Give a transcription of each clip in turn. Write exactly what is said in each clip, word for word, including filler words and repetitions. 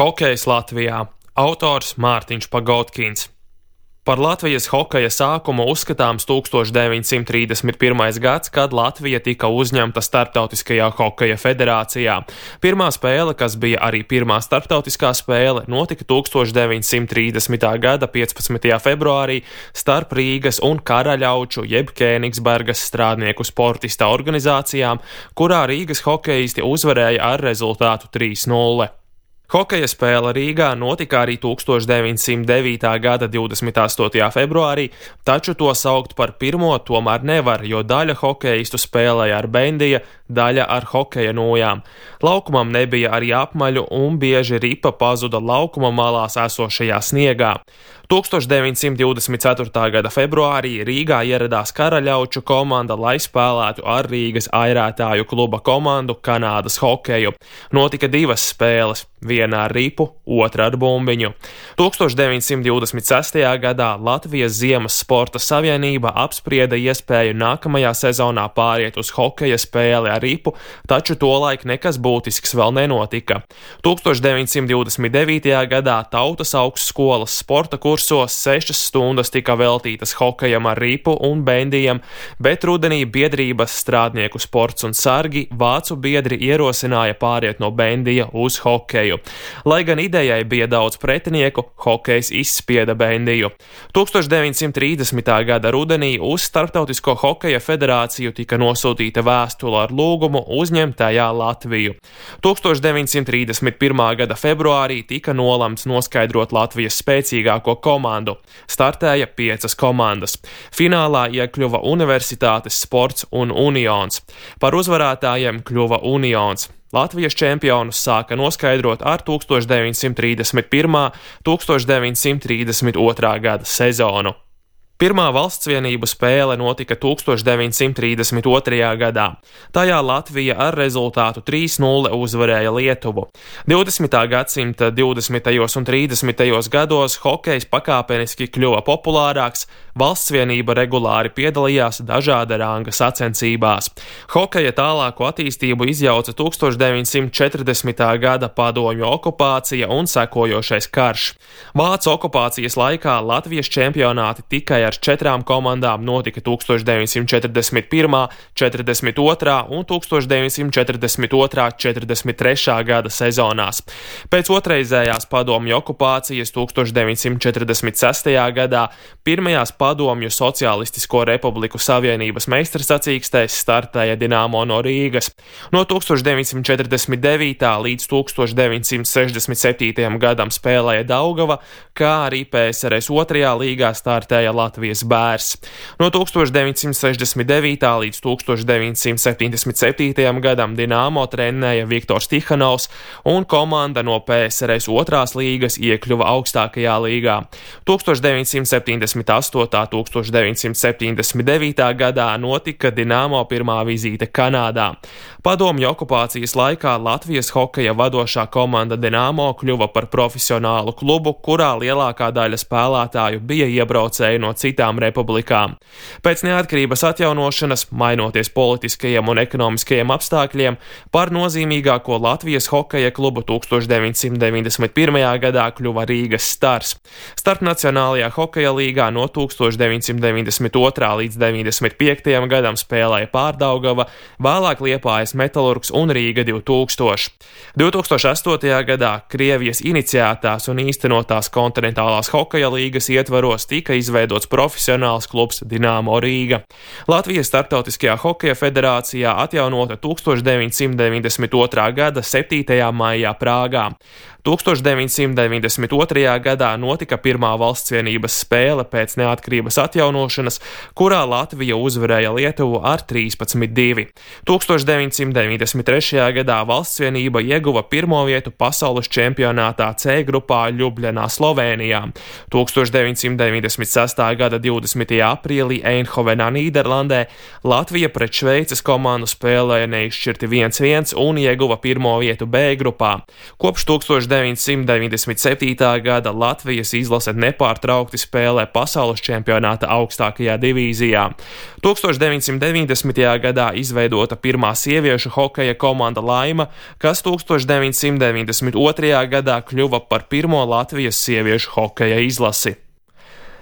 Hokejs Latvijā. Autors Mārtiņš Pagotkins. Par Latvijas hokeja sākumu uzskatāms tūkstoš deviņsimt trīsdesmit pirmais gads, kad Latvija tika uzņemta Starptautiskajā hokeja federācijā. Pirmā spēle, kas bija arī pirmā starptautiskā spēle, notika tūkstoš deviņsimt trīsdesmitā gada piecpadsmitajā februārī starp Rīgas un Karaļauču jeb Kēnigsbergas strādnieku sportista organizācijām, kurā Rīgas hokejisti uzvarēja ar rezultātu trīs nulle. Hokeja spēle Rīgā notika arī tūkstoš deviņsimt devītā gada divdesmit astotajā februārī, taču to saukt par pirmo tomēr nevar, jo daļa hokejistu spēlēja ar bendija, daļa ar hokeja nojām. Laukumam nebija arī apmaļu un bieži ripa pazuda laukuma malās esošajā sniegā. tūkstoš deviņsimt divdesmit ceturtā gada februārī Rīgā ieradās Karaļauču komanda, lai spēlētu ar Rīgas airētāju kluba komandu Kanādas hokeju. Notika divas spēles, viena ar ripu, otra ar bumbiņu. tūkstoš deviņsimt divdesmit sestajā gadā Latvijas Ziemas sporta savienība apsprieda iespēju nākamajā sezonā pāriet uz hokeja spēli ar ripu, taču tolaik nekas būtisks vēl nenotika. tūkstoš deviņsimt divdesmit devītajā gadā Tautas augstskolas sporta kursos sešas stundas tika veltītas hokejam ar ripu un bendijam, bet rudenī biedrības strādnieku sports un sargi vācu biedri ierosināja pāriet no bendija uz hokeju. Lai gan idejai bija daudz pretinieku, hokejs izspieda bendiju. tūkstoš deviņsimt trīsdesmitā gada rudenī uz Starptautisko hokeja federāciju tika nosūtīta vēstule ar lūgumu uzņemt tajā Latviju. tūkstoš deviņsimt trīsdesmit pirmā gada februārī tika nolemts noskaidrot Latvijas spēcīgāko komandu. Startēja piecas komandas. Finālā iekļuva Universitātes sports un Unions. Par uzvarētājiem kļuva Unions. Latvijas čempionus sāka noskaidrot ar tūkstoš deviņsimt trīsdesmit pirmā - tūkstoš deviņsimt trīsdesmit otrā gada sezonu. Pirmā valstsvienību spēle notika tūkstoš deviņsimt trīsdesmit otrajā gadā. Tajā Latvija ar rezultātu trīs nulle uzvarēja Lietuvu. divdesmitā gadsimta divdesmitajos un trīsdesmitajos gados hokejs pakāpeniski kļuva populārāks, valstsvienība regulāri piedalījās dažāda ranga sacensībās. Hokeja tālāko attīstību izjauca tūkstoš deviņsimt četrdesmitā gada padomju okupācija un sekojošais karš. Vācu okupācijas laikā Latvijas čempionāti tikai ar četrām komandām notika tūkstoš deviņsimt četrdesmit pirmā, četrdesmit otrā un tūkstoš deviņsimt četrdesmit otrā četrdesmit trešā gada sezonās. Pēc otrreizējās padomju okupācijas tūkstoš deviņsimt četrdesmit sestajā gadā pirmajās padomju Socialistisko republiku savienības meistarsacīkstēs startēja Dinamo no Rīgas. No tūkstoš deviņsimt četrdesmit devītā līdz tūkstoš deviņsimt sešdesmit septītajam gadam spēlēja Daugava, kā arī P S R S otrajā līgā startēja Latvijas Bērs. No tūkstoš deviņsimt sešdesmit devītā līdz tūkstoš deviņsimt septiņdesmit septītajam gadam Dinamo trenēja Viktors Tihanovs, un komanda no P S R S otrās līgas iekļuva augstākajā līgā. tūkstoš deviņsimt septiņdesmit astotā - tūkstoš deviņsimt septiņdesmit devītā gadā notika Dinamo pirmā vizīte Kanādā. Padomju okupācijas laikā Latvijas hokeja vadošā komanda Dinamo kļuva par profesionālu klubu, kurā lielākā daļa spēlētāju bija iebraucēji no citām republikām. Pēc neatkarības atjaunošanas, mainoties politiskajiem un ekonomiskajiem apstākļiem, par nozīmīgāko Latvijas hokeja klubu tūkstoš deviņsimt deviņdesmit pirmajā gadā kļuva Rīgas Stars. Starpnacionālajā hokeja līgā no tūkstoš deviņsimt deviņdesmit otrā līdz deviņdesmit piektajam gadam spēlēja Pārdaugava, vēlāk Liepājas Metalurgs un Rīga divi tūkstoši. divtūkstoš astotajā gadā Krievijas iniciētās un īstenotās kontinentālās hokeja līgas ietvaros tika izveidots profesionāls klubs Dinamo Rīga. Latvijas Starptautiskajā hokeja federācijā atjaunota tūkstoš deviņsimt deviņdesmit otrā gada septītajā maijā Prāgā. tūkstoš deviņsimt deviņdesmit otrajā gadā notika pirmā valstsvienības spēle pēc neatkarības atjaunošanas, kurā Latvija uzvarēja Lietuvu ar trīspadsmit divi. tūkstoš deviņsimt deviņdesmit trešajā gadā valstsvienība ieguva pirmo vietu pasaules čempionātā C grupā Ļubļanā, Slovēnijā. tūkstoš deviņsimt deviņdesmit sestā gada divdesmitajā aprīlī Eindhovenā, Nīderlandē Latvija pret Šveices komandu spēlēja neizšķirti viens viens un ieguva pirmo vietu B grupā. Kopš tūkstoš deviņsimt deviņdesmit septītā gada Latvijas izlase nepārtraukti spēlē pasaules čempionāta augstākajā divīzijā. deviņsimt deviņdesmitajā gadā izveidota pirmā sieviešu hokeja komanda Laima, kas deviņsimt deviņdesmit otrajā gadā kļuva par pirmo Latvijas sieviešu hokeja izlasi.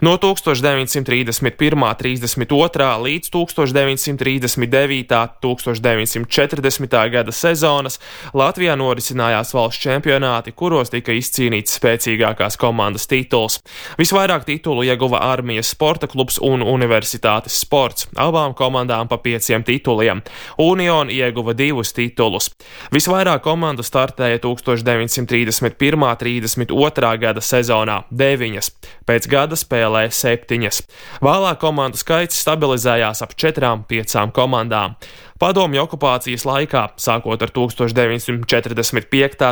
No deviņsimt trīsdesmit pirmā trīsdesmit otrā līdz deviņsimt trīsdesmit devītā deviņsimt četrdesmitā gada sezonas Latvijā norisinājās valsts čempionāti, kuros tika izcīnīts spēcīgākās komandas tituls. Visvairāk titulu ieguva Armijas sporta klubs un Universitātes sports, abām komandām pa pieciem tituliem. Union ieguva divus titulus. Visvairāk komandu startēja deviņsimt trīsdesmit pirmā trīsdesmit otrā gada sezonā – deviņas. Pēc gada spēlē septiņas. Vēlāk komandu skaits stabilizējās ap četrām, piecām komandām. Padomju okupācijas laikā, sākot ar deviņsimt četrdesmit piekta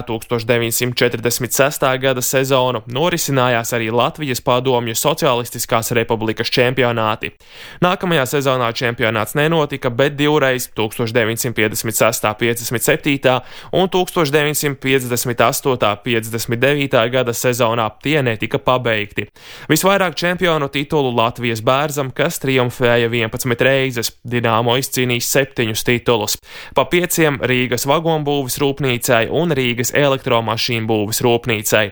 deviņsimt četrdesmit sestā gada sezonu, norisinājās arī Latvijas Padomju Socialistiskās Republikas čempionāti. Nākamajā sezonā čempionāts nenotika, bet divreiz deviņsimt piecdesmit sestā piecdesmit septītā un deviņsimt piecdesmit astotā piecdesmit devītā gada sezonā tie netika pabeigti. Visvairāk čempionu titulu Latvijas Bērzam, kas triumfēja vienpadsmit reizes, Dinamo izcīnījis septiņus titulus, pa pieciem Rīgas vagonbūves rūpnīcai un Rīgas elektromašīnu būves rūpnīcai.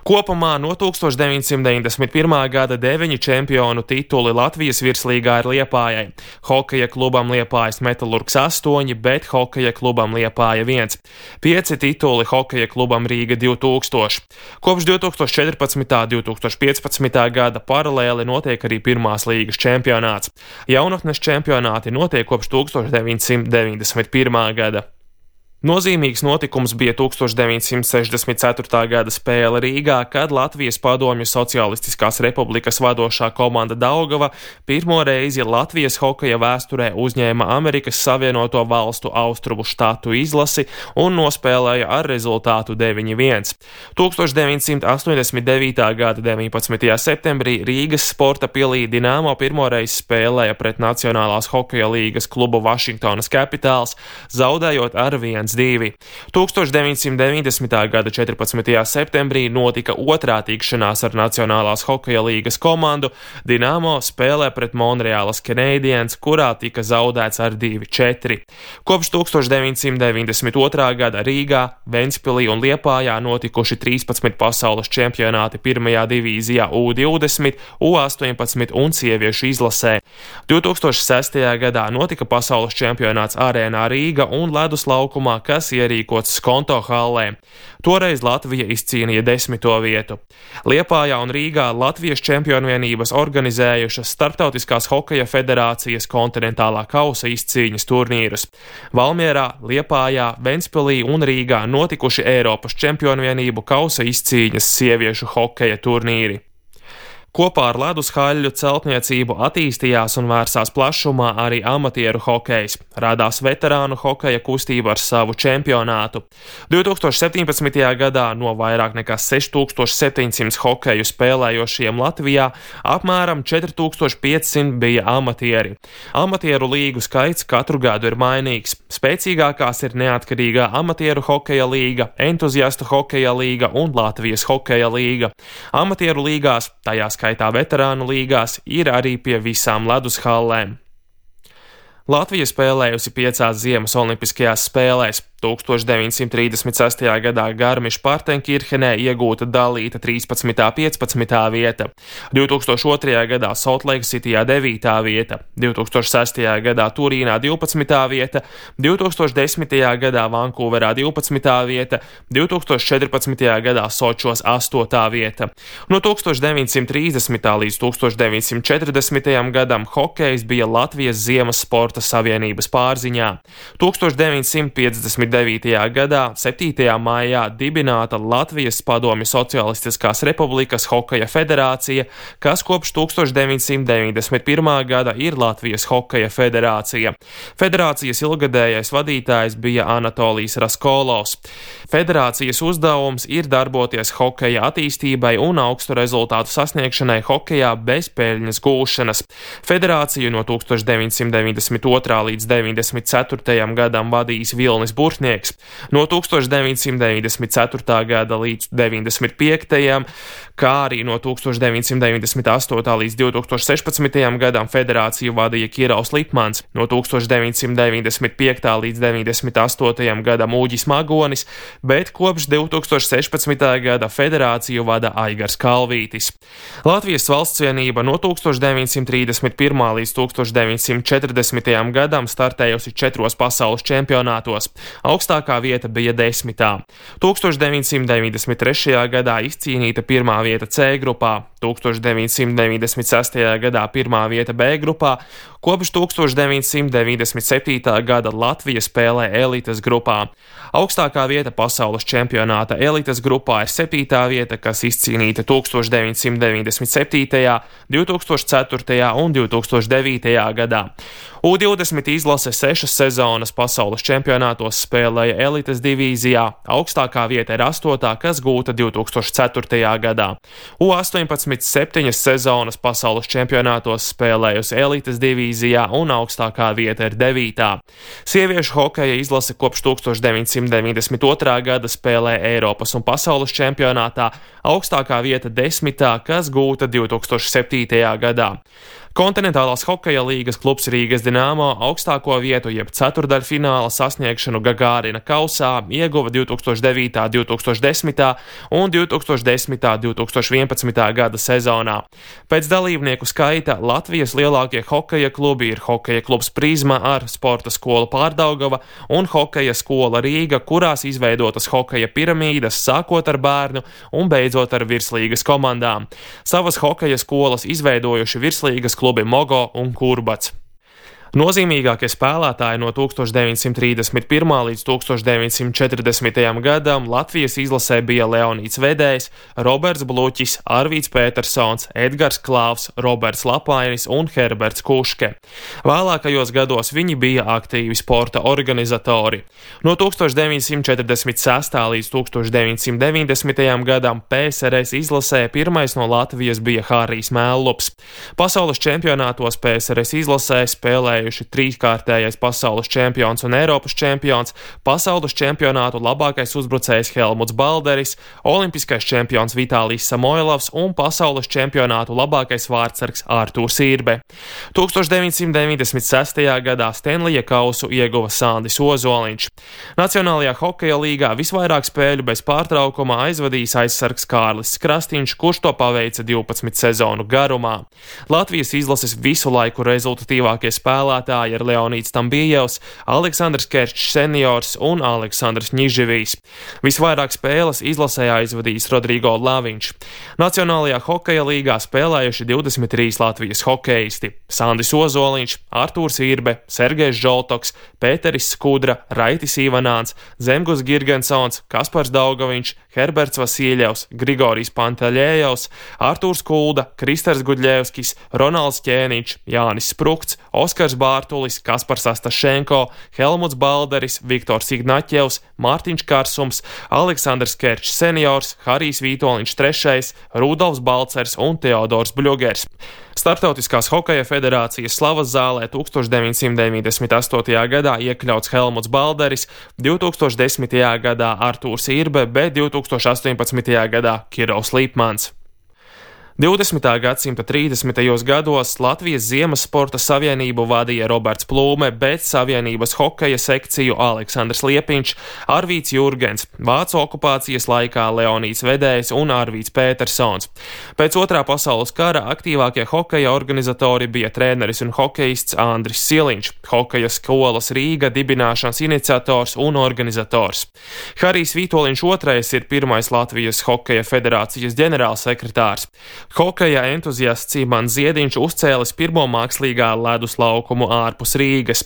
Kopumā no deviņsimt deviņdesmit pirmā gada deviņi čempionu tituli Latvijas virslīgā ir Liepājai. Hokeja klubam Liepājas Metalurgs astoņi, bet hokeja klubam Liepāja viens. Pieci tituli hokeja klubam Rīga divi tūkstoši. Kopš divi tūkstoši četrpadsmitā divi tūkstoši piecpadsmitā gada paralēli notiek arī pirmās līgas čempionāts. Jaunatnes čempionāti notiek kopš deviņsimt deviņdesmit pirmā gada. Nozīmīgs notikums bija deviņsimt sešdesmit ceturtā gada spēle Rīgā, kad Latvijas Padomju Socialistiskās Republikas vadošā komanda Daugava pirmo reizi Latvijas hokeja vēsturē uzņēma Amerikas Savienoto Valstu Austrumu štatu izlasi un nospēlēja ar rezultātu deviņi viens. deviņsimt astoņdesmit devītā gada deviņpadsmitajā septembrī Rīgas sporta pilī Dinamo pirmoreiz spēlēja pret Nacionālās hokeja līgas klubu Washingtonas Capitals, zaudējot ar viens divi. deviņsimt deviņdesmitā gada četrpadsmitajā septembrī notika otrā tikšanās ar Nacionālās hokeja līgas komandu. Dinamo spēlē pret Monreālas Canadiens, kurā tika zaudēts ar divi četri. Kopš deviņsimt deviņdesmit otrā gada Rīgā, Ventspilī un Liepājā notikuši trīspadsmit pasaules čempionāti pirmajā divīzijā U divdesmit, U astoņpadsmit un sieviešu izlasē. divi tūkstoši sestajā gadā notika pasaules čempionāts Arēnā Rīga un ledus laukumā, kas ierīkots Skonto hallē. Toreiz Latvija izcīnīja desmito vietu. Liepājā un Rīgā Latvijas čempionu vienības organizējušas Starptautiskās hokeja federācijas kontinentālā kausa izcīņas turnīrus. Valmierā, Liepājā, Ventspilī un Rīgā notikuši Eiropas čempionu vienību kausa izcīņas sieviešu hokeja turnīri. Kopā ar ledushaļļu celtniecību attīstījās un vērsās plašumā arī amatieru hokejs. Radās veterānu hokeja kustība ar savu čempionātu. divi tūkstoši septiņpadsmitajā gadā no vairāk nekā seši tūkstoši septiņsimt hokeju spēlējošiem Latvijā apmēram četri tūkstoši piecsimt bija amatieri. Amatieru līgu skaits katru gadu ir mainīgs. Spēcīgākās ir neatkarīgā amatieru hokeja līga, entuziastu hokeja līga un Latvijas hokeja līga. Amatieru līgās, tajās skaitā veterānu līgās, ir arī pie visām ledushallēm. Latvija spēlējusi piecās ziemas olimpiskajās spēlēs. deviņsimt trīsdesmit sestajā gadā Garmiš-Partenkirhenē iegūta dalīta trīspadsmitā piecpadsmitā vieta, divi tūkstoši otrajā gadā Soltleiksitijā devītā vieta, divi tūkstoši sestajā gadā Turīnā divpadsmitā vieta, divi tūkstoši desmitajā gadā Vankūverā divpadsmitā vieta, divi tūkstoši četrpadsmitajā gadā Sočos astotā vieta. No deviņsimt trīsdesmitā līdz deviņsimt četrdesmitajam gadam hokejs bija Latvijas Ziemas sporta savienības pārziņā. deviņsimt piecdesmit devītajā gadā, septītajā maijā, dibināta Latvijas Padomju Socialistiskās Republikas hokeja federācija, kas kopš deviņsimt deviņdesmit pirmā gada ir Latvijas hokeja federācija. Federācijas ilgadējais vadītājs bija Anatolijs Raskolovs. Federācijas uzdevums ir darboties hokeja attīstībai un augstu rezultātu sasniegšanai hokejā bez peļņas gūšanas. Federāciju no deviņsimt deviņdesmit otrā līdz deviņdesmit ceturtajam gadam vadījis Vilnis Burtņevs, rūpnieks. No tūkstoš deviņsimt deviņdesmit ceturtā gada līdz deviņdesmit piektajam, kā arī no tūkstoš deviņsimt deviņdesmit astotā līdz divtūkstoš sešpadsmitajam gadam federāciju vadīja Kirovs Lipmans, no tūkstoš deviņsimt deviņdesmit piektā līdz deviņdesmit astotajam gadam Uģis Magonis, bet kopš divtūkstoš sešpadsmitā gada federāciju vada Aigars Kalvītis. Latvijas valstsvienība no tūkstoš deviņsimt trīsdesmit pirmā līdz tūkstoš deviņsimt četrdesmitajam gadam startējusi četros pasaules čempionātos, augstākā vieta bija desmitā. tūkstoš deviņsimt deviņdesmit trešajā gadā izcīnīta pirmā vieta C grupā, tūkstoš deviņsimt deviņdesmit sestajā gadā pirmā vieta B grupā, kopš tūkstoš deviņsimt deviņdesmit septītā gada Latvija spēlē elites grupā. Augstākā vieta pasaules čempionāta elites grupā ir septītā vieta, kas izcīnīta tūkstoš deviņsimt deviņdesmit septītajā, divtūkstoš ceturtajā un divtūkstoš devītajā gadā. U divdesmit izlase sešas sezonas pasaules čempionātos spēlēja elites divīzijā, augstākā vieta ir astotā, kas gūta divtūkstoš ceturtajā gadā. U astoņpadsmit septiņas sezonas pasaules čempionātos spēlējusi elites divīzijā un augstākā vieta ir devītā. Sieviešu hokeja izlase kopš tūkstoš deviņsimt deviņdesmit otrā gada spēlē Eiropas un pasaules čempionātā, augstākā vieta desmitā, kas gūta divtūkstoš septītajā gadā. Kontinentālās hokeja līgas klubs Rīgas Dinamo augstāko vietu jeb ceturdaļfināla sasniegšanu Gagārina kausā ieguva divtūkstoš devītā, divtūkstoš desmitā un divtūkstoš desmitā, divtūkstoš vienpadsmitā gada sezonā. Pēc dalībnieku skaita Latvijas lielākie hokeja klubi ir Hokeja klubs Prizma ar Sporta skolu Pārdaugava un Hokeja skola Rīga, kurās izveidotas hokeja piramīdas, sākot ar bērnu un beidzot ar virslīgas komandām. Savas hokeja skolas izveidojuši virslīgas klubi Mogo un Kurbats. Nozīmīgākie spēlētāji no tūkstoš deviņsimt trīsdesmit pirmā līdz tūkstoš deviņsimt četrdesmitajam gadam Latvijas izlasē bija Leonīds Vedējs, Roberts Bluķis, Arvīds Pētersons, Edgars Klāvs, Roberts Lapainis un Herberts Kuške. Vēlākajos gados viņi bija aktīvi sporta organizatori. No tūkstoš deviņsimt četrdesmit sestā līdz tūkstoš deviņsimt deviņdesmitajam gadam P S R S izlasē pirmais no Latvijas bija Harijs Mellups. Pasaules čempionātos P S R S izlasē spēlēja trīskārtējais pasaules čempions un Eiropas čempions, pasaules čempionātu labākais uzbrucējs Helmuts Balderis, olimpiskais čempions Vitālijs Samoilovs un pasaules čempionātu labākais vārdsargs Ārtūrs Irbe. tūkstoš deviņsimt deviņdesmit sestajā gadā Stenlija kausu ieguva Sandis Ozoliņš. Nacionālajā hokeja līgā visvairāk spēļu bez pārtraukuma aizvadījis aizsargs Kārlis Krastīņš, kurš to paveica divpadsmit sezonu garumā. Latvijas izlases visu laiku rezultatīvākie spēlētāji ir Leonīds Tambijevs, Aleksandrs Kerčs seniors un Aleksandrs Ņiživijs. Visvairāk spēles izlasē aizvadījis Rodrigo Laviņš. Nacionālajā hokeja līgā spēlējuši divdesmit trīs Latvijas hokeisti – Sandis Ozoliņš, Artūrs Irbe, Sergejs Žoltoks, Pēteris Skudra, Raitis Ivanāns, Zemgus Girgensons, Kaspars Daugaviņš, Herberts Vasīļevs, Grigorijs Pantaļējevs, Artūrs Kulda, Kristers Gudļevskis, Ronalds Ķēniņš, Jānis Sprukts, Oskars Bārtulis, Kaspars Astašenko, Helmuts Balderis, Viktors Ignaķevs, Mārtiņš Karsums, Aleksandrs Kerčs seniors, Harijs Vītoliņš trešais, Rudolfs Balcers un Teodors Bļugers. Startautiskās hokeja federācijas slavas zālē tūkstoš deviņsimt deviņdesmit astotajā gadā iekļauts Helmuts Balderis, divtūkstoš desmitajā gadā Artūrs Irbe, bet divtūkstoš astoņpadsmitajā gadā Kirovs Lipmans. divdesmitā gadsimta trīsdesmitajos gados Latvijas Ziemas sporta savienību vadīja Roberts Plūme, bet savienības hokeja sekciju Aleksandrs Liepiņš, Arvīds Jurgens, vācu okupācijas laikā Leonīds Vedējs un Arvīds Pētersons. Pēc otrā pasaules kara aktīvākie hokeja organizatori bija treneris un hokejists Andris Siliņš, hokeja skolas Rīga dibināšanas iniciators un organizators. Harijs Vītoliņš otrais ir pirmais Latvijas hokeja federācijas ģenerālsekretārs. Hokeja entuziasts Imants Ziediņš uzcēlis pirmo mākslīgā ledus laukumu ārpus Rīgas.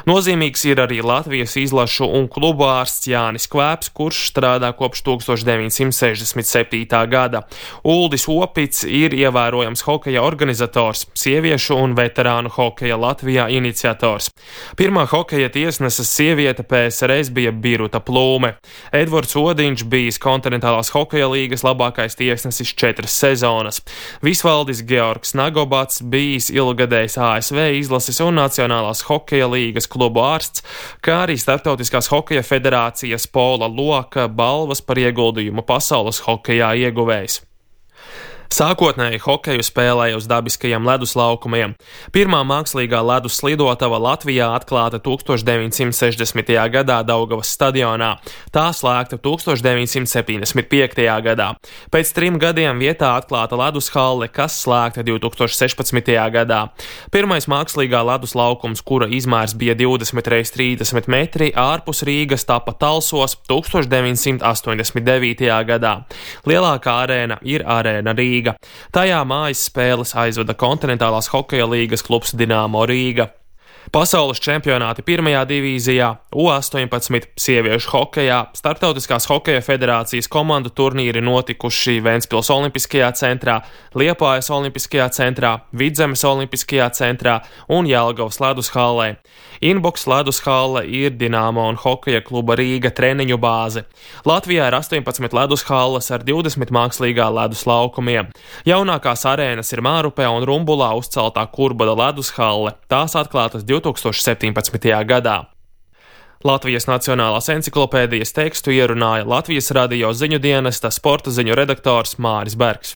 Nozīmīgs ir arī Latvijas izlašu un klubu ārsts Jānis Kvēps, kurš strādā kopš tūkstoš deviņsimt sešdesmit septītā gada. Uldis Opits ir ievērojams hokeja organizators, sieviešu un veterānu hokeja Latvijā iniciators. Pirmā hokeja tiesneses sieviete P S R S bija Biruta Plūme. Edvards Odiņš bijis kontinentālās hokeja līgas labākais tiesnesis četras sezonas. Visvaldis Georgs Nagobats, bijis ilgadējs A S V izlases un Nacionālās hokeja līgas klubu ārsts, kā arī Starptautiskās hokeja federācijas Pola Loka balvas par ieguldījumu pasaules hokejā ieguvējs. Sākotnēji hokeju spēlēja uz dabiskajiem leduslaukumiem. Pirmā mākslīgā ledus slidotava Latvijā atklāta tūkstoš deviņsimt sešdesmitajā gadā Daugavas stadionā. Tā slēgta tūkstoš deviņsimt septiņdesmit piektajā gadā. Pēc trim gadiem vietā atklāta ledushalle, kas slēgta divtūkstoš sešpadsmitajā gadā. Pirmais mākslīgā leduslaukums, kura izmērs bija divdesmit reiz trīsdesmit metri, ārpus Rīgas tapa Talsos tūkstoš deviņsimt astoņdesmit devītajā gadā. Lielākā arēna ir Arēna Rīga. Tajā mājas spēles aizvada Kontinentālās hokeja līgas klubs Dinamo Rīga. Pasaules čempionāti pirmajā divīzijā, U astoņpadsmit sieviešu hokejā, Starptautiskās hokeja federācijas komandu turnīri notikuši Ventspils Olimpiskajā centrā, Liepājas Olimpiskajā centrā, Vidzemes Olimpiskajā centrā un Jelgavas ledushallē. Inbox ledushalle ir Dinamo un hokeja kluba Rīga treniņu bāze. Latvijā ir astoņpadsmit ledushalles ar divdesmit mākslīgā ledus laukumiem. Jaunākās arēnas ir Mārupē un Rumbulā uzceltā Kurbada ledushalle. Tās atklātas divtūkstoš septiņpadsmitajā gadā. Latvijas Nacionālās enciklopēdijas tekstu ierunāja Latvijas radio ziņu dienesta sporta ziņu redaktors Māris Bergs.